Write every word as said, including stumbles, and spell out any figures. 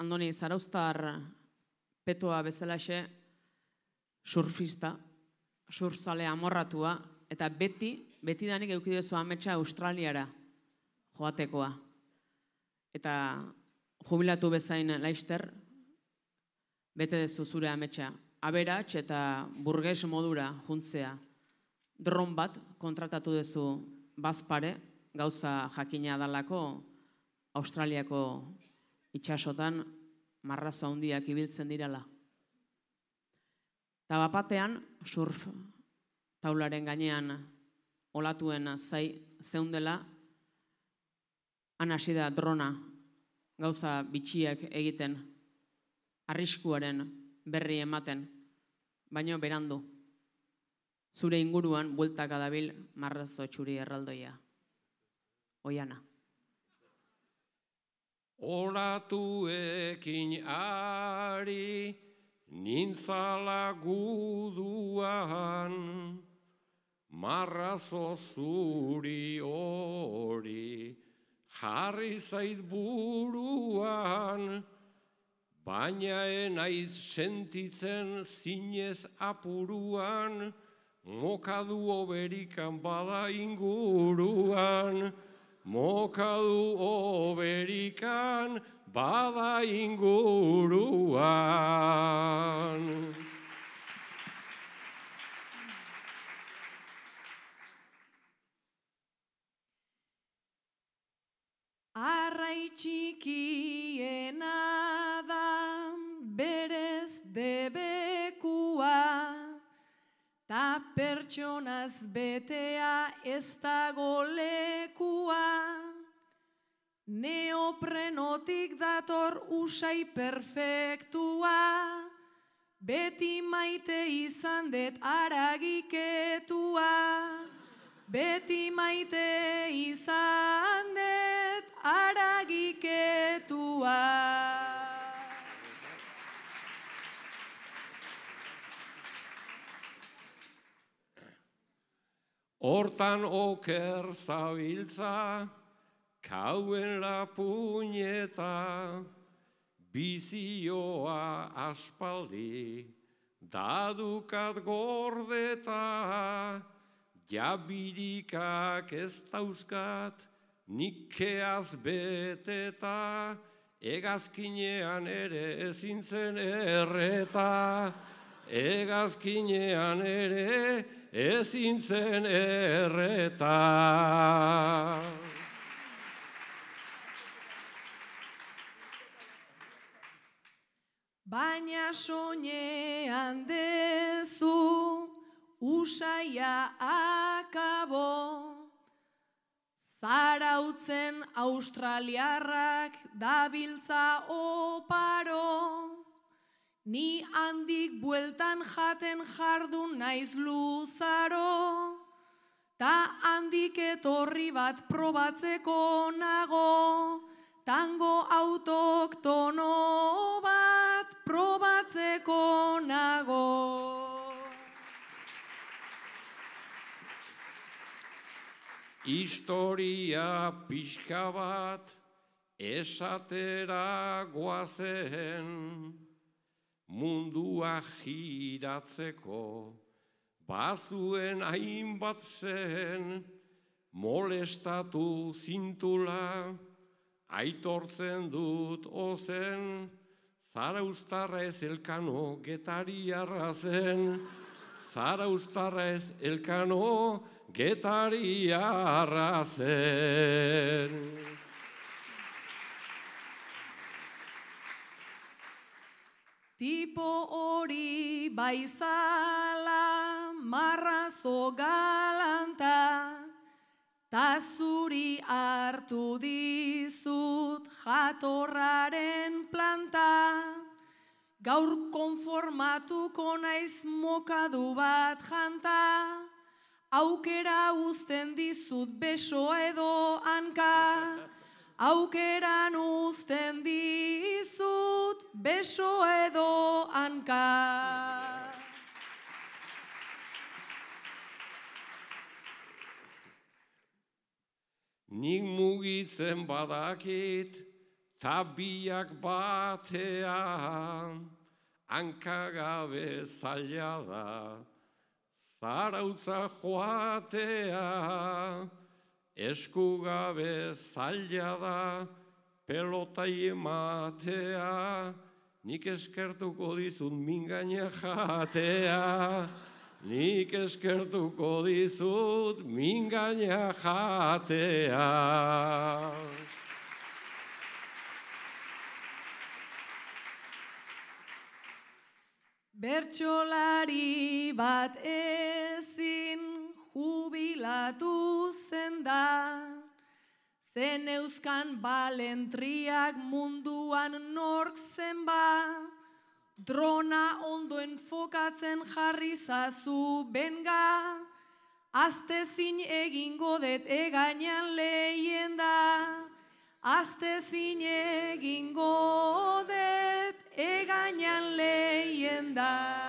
Andoni Zarauztar petoa bezalaxe surfista, surfzale amorratua, eta beti, betidanik eukidezu ametsa Australiara joatekoa. Eta jubilatu bezain laister, bete dezu zure ametsa. Aberats eta burges modura juntzea. Dron bat kontratatu dezu bazpare, gauza jakina dalako Australiako itxasotan marrazo handiak ibiltzen dirala. Eta bapatean, surf taularen gainean olatuen zai zeundela, han hasi da drona gauza bitxiak egiten, arriskuaren berri ematen, baino berandu. Zure inguruan bueltaka dabil marrazo txuri erraldoia. Oiana. Olatuekin ari nintzala guduan, marrazo zuri hori jarri zait buruan, baina enaiz sentitzen zinez apuruan, mokadu oberikan bada inguruan, mokadu oberikan bada inguruan. Arrai txikiena da berez debekua, ta pertsonaz betea ez dago lekua. Neoprenotik dator usai perfektua, beti maite izan det aragiketua. Beti maite izan det aragiketua. Hortan oker zabiltza, kauen la puñeta, bizioa aspaldi, dadukat gordeta, jabirikak ez dauzkat, nikeaz beteta, egazkinean ere ezintzen erreta, egazkinean ere ezintzen erreta. Baina soinean dezu usaia akabo, zarautzen australiarrak dabiltza oparo, ni handik bueltan jaten jardun naiz luzaro, ta handik etorri bat probatzeko nago, tango autoktono bat probatzeko nago. Historia pixka bat esatera goazen, mundua giratzeko bazuen hainbat zen, molestatu zintula, aitortzen dut ozen, Zarauztarra ez Elkano getariarra zen, Zarauztarra ez Elkano getariarra zen. Tipo hori baizala marrazo galanta, ta zuri hartu dizut jatorraren planta, gaur konformatuko naiz mokadu bat janta, aukera uzten dizut beso edo hanka, aukeran uzten dizut beso edo hanka. Nik mugitzen badakit, ta biak batea, hankagabe zaila da, zarautza joatea, eskugabe zaila da, pelotai ematea, nik eskertuko dizut mingaina jatea, nik eskertuko dizut mingaina jatea. Bertsolari bat ezin jubilatu zen da, zen euskan balentriak munduan nork zen ba, drona ondo enfokatzen jarri zazu benga, aztezin egingo det egainan lehien da, aztezin egingo det egainan lehien da.